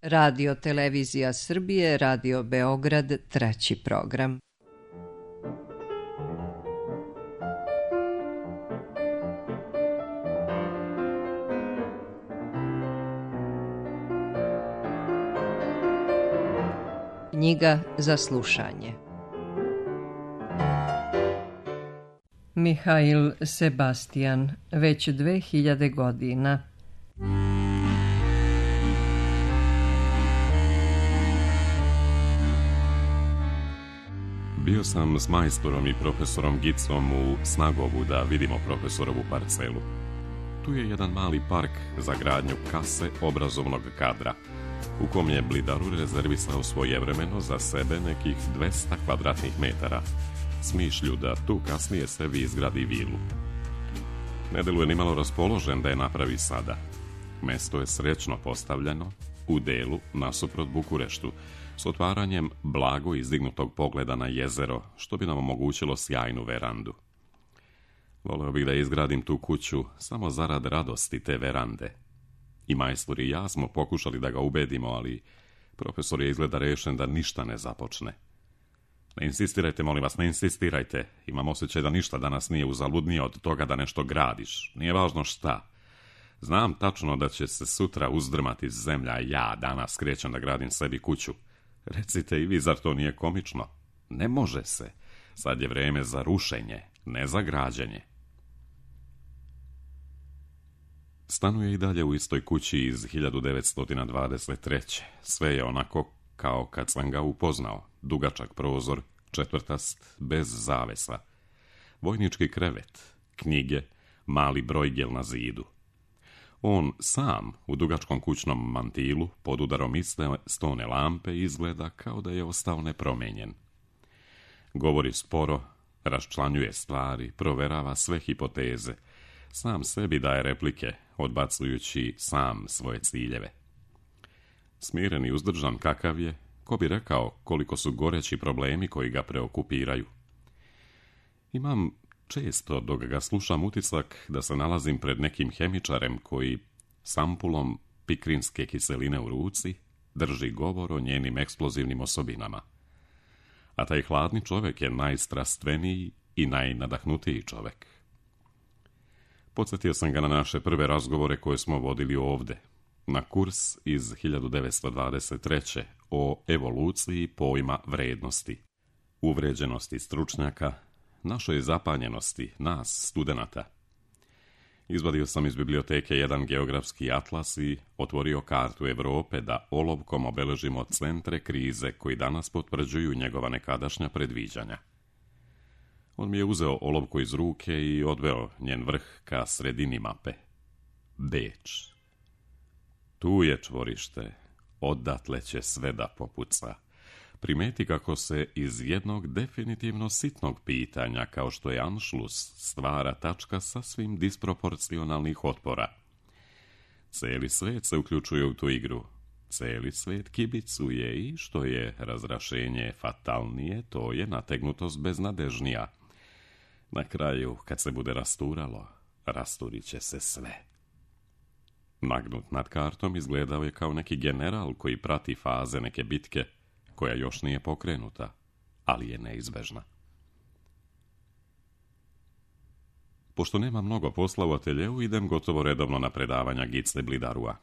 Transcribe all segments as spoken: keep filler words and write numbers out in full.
Radio Televizija Srbije, Radio Beograd, treći program. Knjiga za slušanje. Mihail Sebastian, već dve hiljade godina. Bio sam s majstorom i profesorom Gicom u Snagovu da vidimo profesorovu parcelu. Tu je jedan mali park za gradnju kase obrazovnog kadra, u kom je Blidaru rezervisao svojevremeno za sebe nekih dvesta kvadratnih metara, s mišlju da tu kasnije sebi izgradi vilu. Ne deluje ni malo raspoložen da je napravi sada. Mesto je srećno postavljeno, u delu nasuprot Bukureštu, s otvaranjem blago izdignutog pogleda na jezero, što bi nam omogućilo sjajnu verandu. Voleo bih da izgradim tu kuću samo zarad radosti te verande. I majstor i ja smo pokušali da ga ubedimo, ali profesor je izgleda rešen da ništa ne započne. Ne insistirajte, molim vas, ne insistirajte. Imam osjećaj da ništa danas nije uzaludnije od toga da nešto gradiš. Nije važno šta. Znam tačno da će se sutra uzdrmati zemlja, a ja danas krećem da gradim sebi kuću. Recite i vi, zar to nije komično? Ne može se. Sad je vreme za rušenje, ne za građenje. Stanuje i dalje u istoj kući iz hiljadu devetsto dvadeset treće. Sve je onako kao kad sam ga upoznao. Dugačak prozor, četvrtast, bez zavesa. Vojnički krevet, knjige, mali brojgel na zidu. On sam u dugačkom kućnom mantilu pod udarom iste stone lampe izgleda kao da je ostao nepromenjen. Govori sporo, raščlanjuje stvari, proverava sve hipoteze. Sam sebi daje replike, odbacujući sam svoje ciljeve. Smiren i uzdržan kakav je, ko bi rekao koliko su goreći problemi koji ga preokupiraju. Imam često, dok ga slušam, utisak da se nalazim pred nekim hemičarem koji s ampulom pikrinske kiseline u ruci drži govor o njenim eksplozivnim osobinama. A taj hladni čovjek je najstrastveniji i najnadahnutiji čovjek. Podsjetio sam ga na naše prve razgovore koje smo vodili ovde, na kurs iz hiljadu devetsto dvadeset treće o evoluciji pojma vrednosti, uvređenosti stručnjaka, našoj zapanjenosti, nas, studenata. Izvadio sam iz biblioteke jedan geografski atlas i otvorio kartu Evrope da olovkom obeležimo centre krize koji danas potvrđuju njegova nekadašnja predviđanja. On mi je uzeo olovku iz ruke i odveo njen vrh ka sredini mape. Beč. Tu je čvorište, odatle će sve da popuca. Primeti kako se iz jednog definitivno sitnog pitanja, kao što je Anšlus, stvara tačka sasvim disproporcionalnih otpora. Celi svet se uključuje u tu igru. Celi svet kibicuje i, što je razrašenje fatalnije, to je nategnutost beznadežnija. Na kraju, kad se bude rasturalo, rasturit će se sve. Nagnut nad kartom izgledao je kao neki general koji prati faze neke bitke, koja još nije pokrenuta, ali je neizbežna. Pošto nema mnogo posla u ateljeu, idem gotovo redovno na predavanja Gice Blidarua.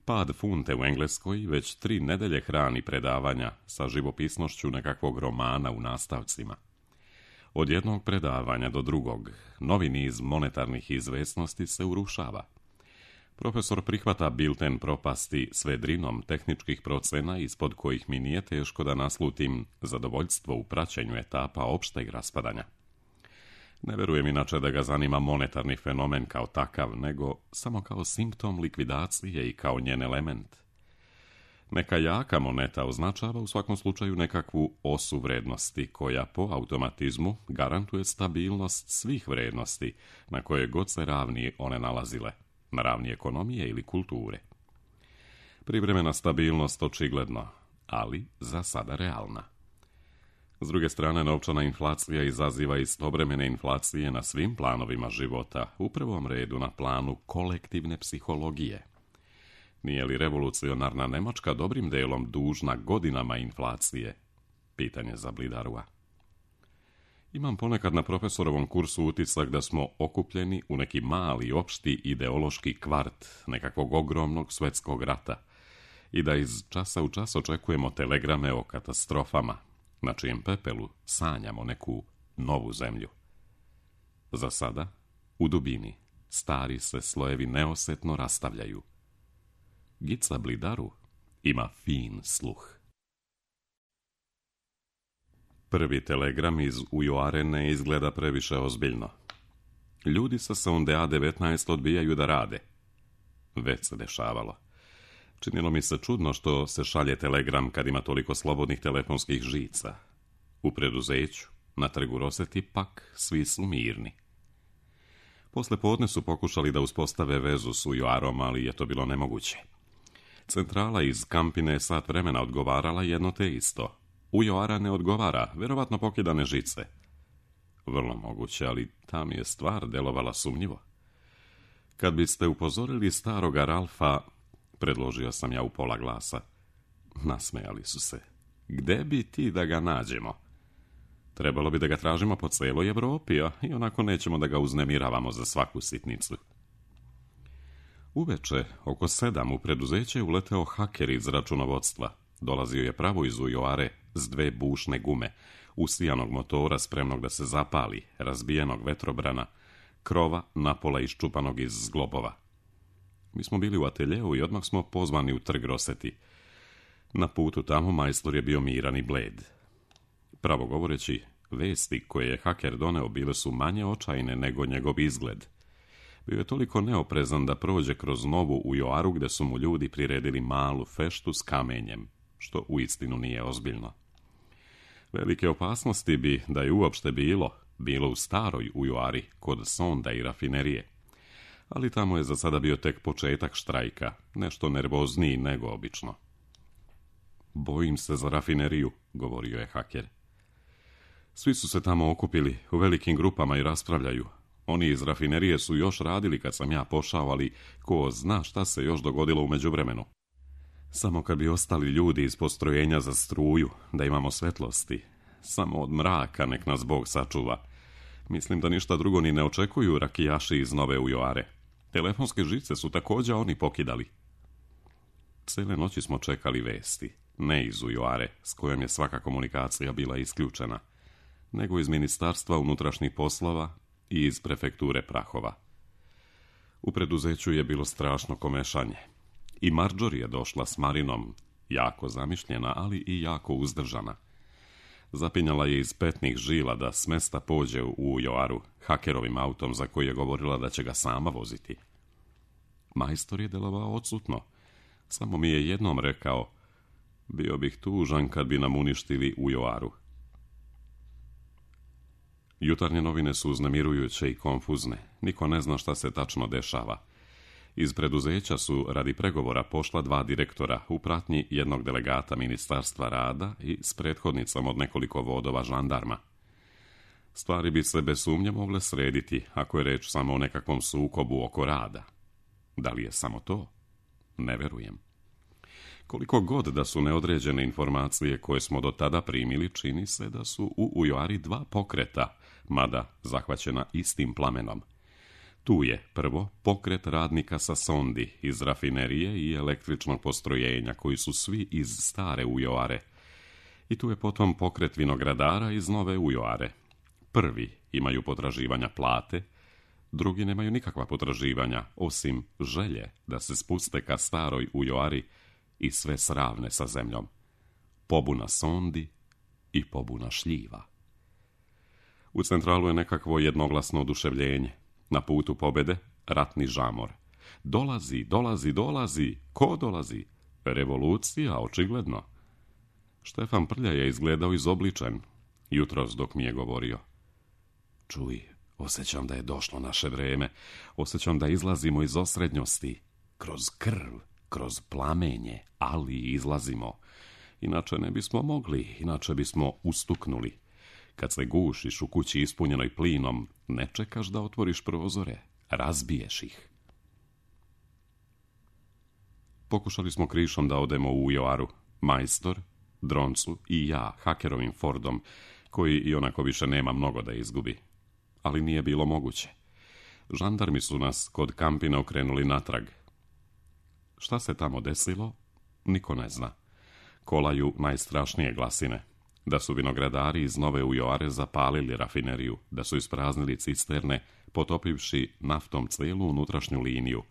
Pad funte u Engleskoj već tri nedelje hrani predavanja sa živopisnošću nekakvog romana u nastavcima. Od jednog predavanja do drugog, novi niz monetarnih izvesnosti se urušava. Profesor prihvata bilten propasti s vedrinom tehničkih procena ispod kojih mi nije teško da naslutim zadovoljstvo u praćenju etapa opšteg raspadanja. Ne verujem inače da ga zanima monetarni fenomen kao takav, nego samo kao simptom likvidacije i kao njen element. Neka jaka moneta označava u svakom slučaju nekakvu osu vrednosti koja po automatizmu garantuje stabilnost svih vrednosti na koje god se ravni one nalazile, na ravni ekonomije ili kulture. Privremena stabilnost očigledno, ali za sada realna. S druge strane, novčana inflacija izaziva istovremene inflacije na svim planovima života, u prvom redu na planu kolektivne psihologije. Nije li revolucionarna Nemačka dobrim delom dužna godinama inflacije? Pitanje za Blidarua. Imam ponekad na profesorovom kursu utisak da smo okupljeni u neki mali, opšti ideološki kvart nekakvog ogromnog svjetskog rata i da iz časa u čas očekujemo telegrame o katastrofama, na čijem pepelu sanjamo neku novu zemlju. Za sada, u dubini, stari se slojevi neosetno rastavljaju. Gica Blidaru ima fin sluh. Prvi telegram iz Ujoare ne izgleda previše ozbiljno. Ljudi sa sonde A devetnaest odbijaju da rade. Već se dešavalo. Činilo mi se čudno što se šalje telegram kad ima toliko slobodnih telefonskih žica. U preduzeću, na trgu Roseti, pak svi su mirni. Posle podne su pokušali da uspostave vezu s Ujoarom, ali je to bilo nemoguće. Centrala iz Kampine je sat vremena odgovarala jedno te isto. Ujoara ne odgovara, verovatno pokidane žice. Vrlo moguće, ali ta mi je stvar delovala sumnjivo. Kad biste upozorili staroga Ralfa, predložio sam ja u pola glasa. Nasmejali su se. Gde bi ti da ga nađemo? Trebalo bi da ga tražimo po celoj Evropi, a i onako nećemo da ga uznemiravamo za svaku sitnicu. Uveče, oko sedam, u preduzeće je uleteo haker iz računovodstva. Dolazio je pravo iz Ujoare s dve bušne gume, usijanog motora spremnog da se zapali, razbijenog vetrobrana, krova napola iščupanog iz zglobova. Mi smo bili u ateljeu i odmah smo pozvani u trg Roseti. Na putu tamo majstor je bio miran i bled. Pravo govoreći, vesti koje je haker doneo bile su manje očajne nego njegov izgled. Bio je toliko neoprezan da prođe kroz novu Ujoaru gde su mu ljudi priredili malu feštu s kamenjem, što uistinu nije ozbiljno. Velike opasnosti bi, da je uopšte bilo, bilo u staroj Ujoari, kod sonda i rafinerije. Ali tamo je za sada bio tek početak štrajka, nešto nervozniji nego obično. Bojim se za rafineriju, govorio je haker. Svi su se tamo okupili u velikim grupama i raspravljaju. Oni iz rafinerije su još radili kad sam ja pošao, ali ko zna šta se još dogodilo u međuvremenu. Samo kad bi ostali ljudi iz postrojenja za struju, da imamo svetlosti. Samo od mraka nek nas Bog sačuva. Mislim da ništa drugo ni ne očekuju rakijaši iz nove Ujoare. Telefonske žice su također oni pokidali. Cele noći smo čekali vesti. Ne iz Ujoare, s kojom je svaka komunikacija bila isključena, nego iz Ministarstva unutrašnjih poslova i iz prefekture Prahova. U preduzeću je bilo strašno komešanje. I Marjorie je došla s Marinom, jako zamišljena, ali i jako uzdržana. Zapinjala je iz petnih žila da s mesta pođe u Ujoaru hakerovim autom za koji je govorila da će ga sama voziti. Majstor je delovao odsutno. Samo mi je jednom rekao, bio bih tužan kad bi nam uništili Ujoaru. Jutarnje novine su uznemirujuće i konfuzne. Niko ne zna šta se tačno dešava. Iz preduzeća su radi pregovora pošla dva direktora u pratnji jednog delegata Ministarstva rada i s prethodnicom od nekoliko vodova žandarma. Stvari bi se bez sumnje mogle srediti ako je reč samo o nekakvom sukobu oko rada. Da li je samo to? Ne verujem. Koliko god da su neodređene informacije koje smo do tada primili, čini se da su u Ujoari dva pokreta, mada zahvaćena istim plamenom. Tu je, prvo, pokret radnika sa sondi iz rafinerije i električnog postrojenja, koji su svi iz stare Ujoare. I tu je potom pokret vinogradara iz nove Ujoare. Prvi imaju potraživanja plate, drugi nemaju nikakva potraživanja, osim želje da se spuste ka staroj Ujoari i sve sravne sa zemljom. Pobuna sondi i pobuna šljiva. U centralu je nekakvo jednoglasno oduševljenje. Na putu pobede, ratni žamor. Dolazi, dolazi, dolazi. Ko dolazi? Revolucija, očigledno. Štefan Prlja je izgledao izobličen, jutros dok mi je govorio. Čuj, osjećam da je došlo naše vreme. Osjećam da izlazimo iz osrednjosti. Kroz krv, kroz plamenje, ali izlazimo. Inače ne bismo mogli, inače bismo ustuknuli. Kad se gušiš u kući ispunjenoj plinom, ne čekaš da otvoriš prozore, razbiješ ih. Pokušali smo krišom da odemo u Joaru, majstor, Droncu i ja, Hakerovim Fordom, koji i onako više nema mnogo da izgubi. Ali nije bilo moguće. Žandarmi su nas kod Kampina okrenuli natrag. Šta se tamo desilo, niko ne zna. Kolaju najstrašnije glasine. Da su vinogradari iz Nove Ujoare zapalili rafineriju, da su ispraznili cisterne, potopivši naftom cijelu unutrašnju liniju,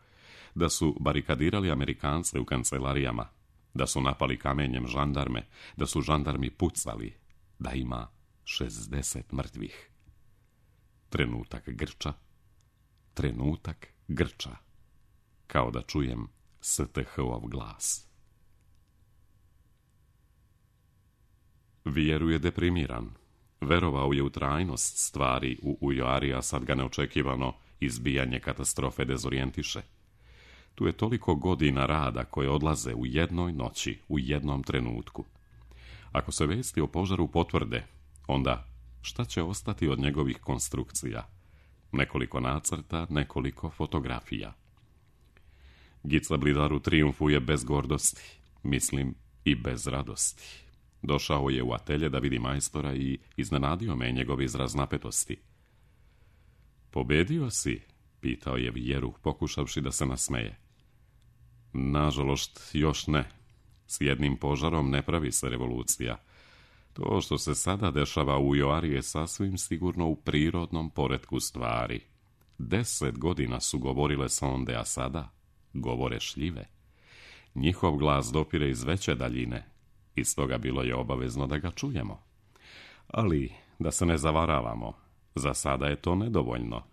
da su barikadirali Amerikance u kancelarijama, da su napali kamenjem žandarme, da su žandarmi pucali, da ima šezdeset mrtvih. Trenutak grča, trenutak grča, kao da čujem S T H-ov glas. Vjeru je deprimiran. Verovao je u trajnost stvari u Ujoari, a sad ga neočekivano izbijanje katastrofe dezorijentiše. Tu je toliko godina rada koje odlaze u jednoj noći, u jednom trenutku. Ako se vesti o požaru potvrde, onda šta će ostati od njegovih konstrukcija? Nekoliko nacrta, nekoliko fotografija. Gica Blidaru trijumfuje bez gordosti, mislim i bez radosti. Došao je u atelje da vidi majstora i iznenadio me njegov izraz napetosti. Pobedio si? Pitao je Vjeru, pokušavši da se nasmeje. Nažalost, još ne. S jednim požarom ne pravi se revolucija. To što se sada dešava u Joari je sasvim sigurno u prirodnom poretku stvari. Deset godina su govorile sonde, a sada govore šljive. Njihov glas dopire iz veće daljine, i stoga bilo je obavezno da ga čujemo. Ali, da se ne zavaravamo, za sada je to nedovoljno.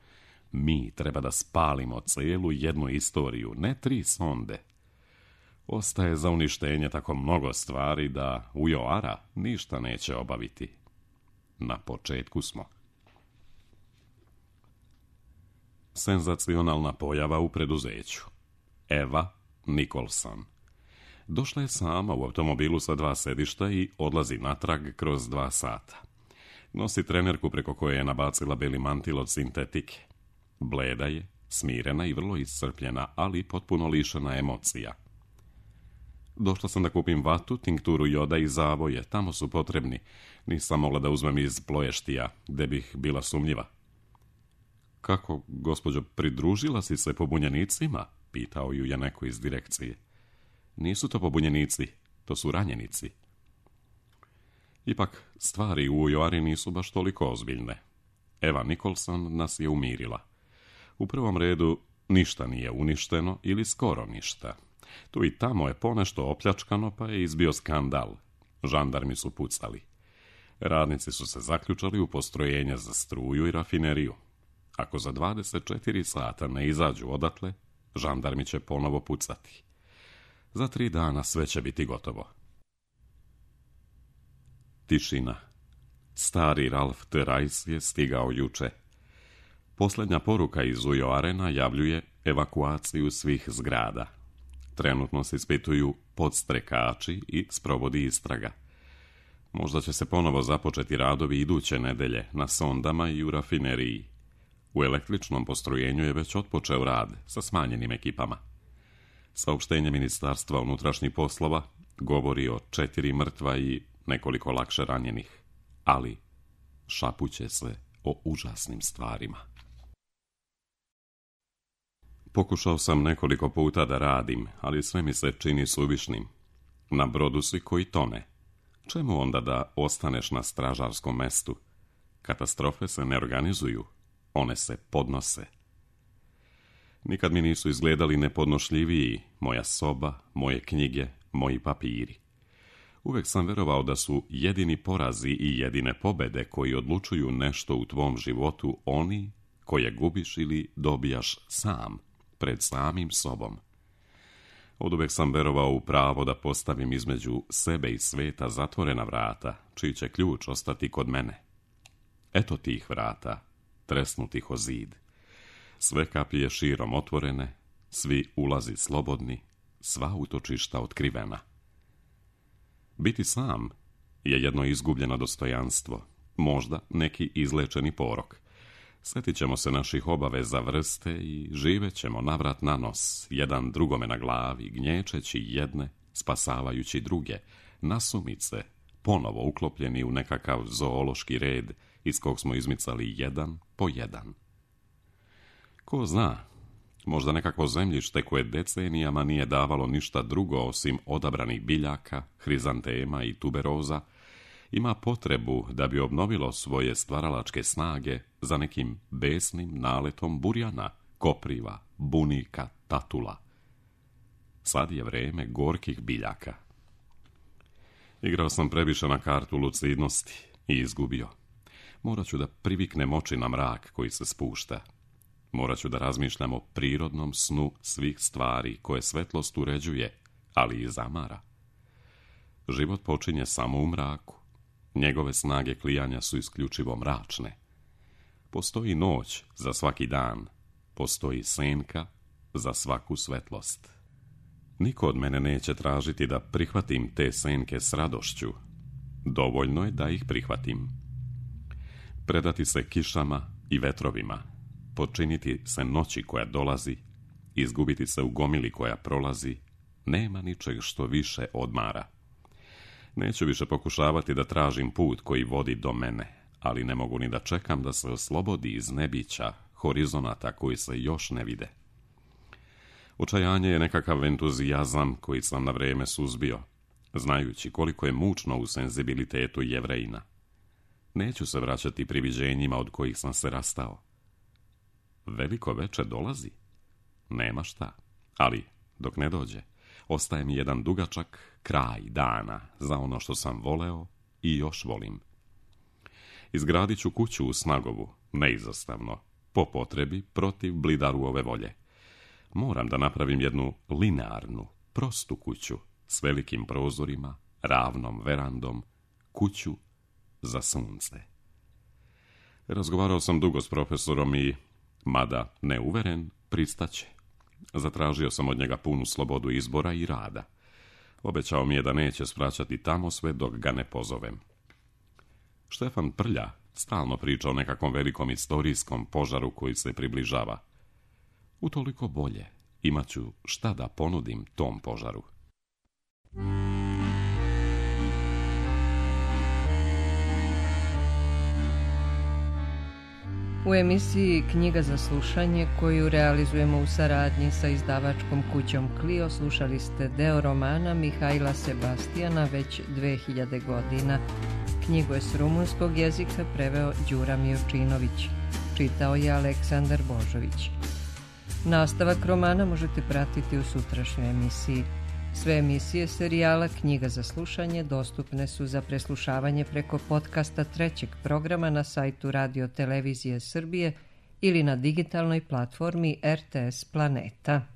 Mi treba da spalimo cijelu jednu istoriju, ne tri sonde. Ostaje za uništenje tako mnogo stvari da u Joara ništa neće obaviti. Na početku smo. Senzacionalna pojava u preduzeću. Eva Nicholson. Došla je sama u automobilu sa dva sedišta i odlazi natrag kroz dva sata. Nosi trenerku preko koje je nabacila beli mantil od sintetike. Bleda je, smirena i vrlo iscrpljena, ali potpuno lišena emocija. Došla sam da kupim vatu, tinkturu joda i zavoje, tamo su potrebni. Nisam mogla da uzmem iz Ploještija, gde bih bila sumnjiva. Kako, gospođo, pridružila si se pobunjenicima? Pitao ju je neko iz direkcije. Nisu to pobunjenici, to su ranjenici. Ipak, stvari u Joari nisu baš toliko ozbiljne. Eva Nicholson nas je umirila. U prvom redu, ništa nije uništeno ili skoro ništa. Tu i tamo je ponešto opljačkano, pa je izbio skandal. Žandarmi su pucali. Radnici su se zaključali u postrojenja za struju i rafineriju. Ako za dvadeset četiri sata ne izađu odatle, žandarmi će ponovo pucati. Za tri dana sve će biti gotovo. Tišina. Stari Ralf Therais je stigao juče. Posljednja poruka iz Ujoare najavljuje evakuaciju svih zgrada. Trenutno se ispituju podstrekači i sprovodi istraga. Možda će se ponovo započeti radovi iduće nedelje na sondama i u rafineriji. U električnom postrojenju je već otpočeo rad sa smanjenim ekipama. Saopštenje Ministarstva unutrašnjih poslova govori o četiri mrtva i nekoliko lakše ranjenih, ali šapuće se o užasnim stvarima. Pokušao sam nekoliko puta da radim, ali sve mi se čini suvišnim. Na brodu si koji tone. Čemu onda da ostaneš na stražarskom mestu? Katastrofe se ne organizuju, one se podnose. Nikad mi nisu izgledali nepodnošljiviji moja soba, moje knjige, moji papiri. Uvek sam verovao da su jedini porazi i jedine pobede koji odlučuju nešto u tvom životu oni koje gubiš ili dobijaš sam, pred samim sobom. Oduvek sam verovao u pravo da postavim između sebe i sveta zatvorena vrata, čiji će ključ ostati kod mene. Eto tih vrata, tresnutih o zid. Sve kapije širom otvorene, svi ulazi slobodni, sva utočišta otkrivena. Biti sam je jedno izgubljeno dostojanstvo, možda neki izlečeni porok. Sjetit ćemo se naših obaveza vrste i živet ćemo navrat na nos, jedan drugome na glavi, gnječeći jedne, spasavajući druge, nasumice, ponovo uklopljeni u nekakav zoološki red iz kog smo izmicali jedan po jedan. Ko zna, možda nekakvo zemljište koje decenijama nije davalo ništa drugo osim odabranih biljaka, hrizantema i tuberoza, ima potrebu da bi obnovilo svoje stvaralačke snage za nekim besnim naletom burjana, kopriva, bunika, tatula. Sad je vreme gorkih biljaka. Igrao sam previše na kartu lucidnosti i izgubio. Morat ću da priviknem oči na mrak koji se spušta. Morat ću da razmišljam o prirodnom snu svih stvari koje svetlost uređuje, ali i zamara. Život počinje samo u mraku. Njegove snage klijanja su isključivo mračne. Postoji noć za svaki dan, postoji senka za svaku svetlost. Niko od mene neće tražiti da prihvatim te senke s radošću. Dovoljno je da ih prihvatim. Predati se kišama i vetrovima, počiniti se noći koja dolazi, izgubiti se u gomili koja prolazi, nema ničeg što više odmara. Neću više pokušavati da tražim put koji vodi do mene, ali ne mogu ni da čekam da se oslobodi iz nebića, horizonata koji se još ne vide. Očajanje je nekakav entuzijazam koji sam na vrijeme suzbio, znajući koliko je mučno u senzibilitetu Jevrejina. Neću se vraćati priviđenjima od kojih sam se rastao. Veliko veče dolazi? Nema šta, ali dok ne dođe, ostaje mi jedan dugačak kraj dana za ono što sam voleo i još volim. Izgradit ću kuću u Snagovu, neizostavno, po potrebi protiv Blidarove volje. Moram da napravim jednu linearnu, prostu kuću s velikim prozorima, ravnom verandom, kuću za sunce. Razgovarao sam dugo s profesorom i, mada neuveren, pristaće. Zatražio sam od njega punu slobodu izbora i rada. Obećao mi je da neće svraćati tamo sve dok ga ne pozovem. Štefan Prlja stalno priča o nekakvom velikom istorijskom požaru koji se približava. Utoliko bolje, imat ću šta da ponudim tom požaru. U emisiji Knjiga za slušanje, koju realizujemo u saradnji sa izdavačkom kućom Clio, slušali ste deo romana Mihajla Sebastijana već dve hiljade godina. Knjigu je s rumunskog jezika preveo Đura Miočinović. Čitao je Aleksandar Božović. Nastavak romana možete pratiti u sutrašnjoj emisiji. Sve emisije serijala Knjiga za slušanje dostupne su za preslušavanje preko podcasta trećeg programa na sajtu Radio Televizije Srbije ili na digitalnoj platformi R T S Planeta.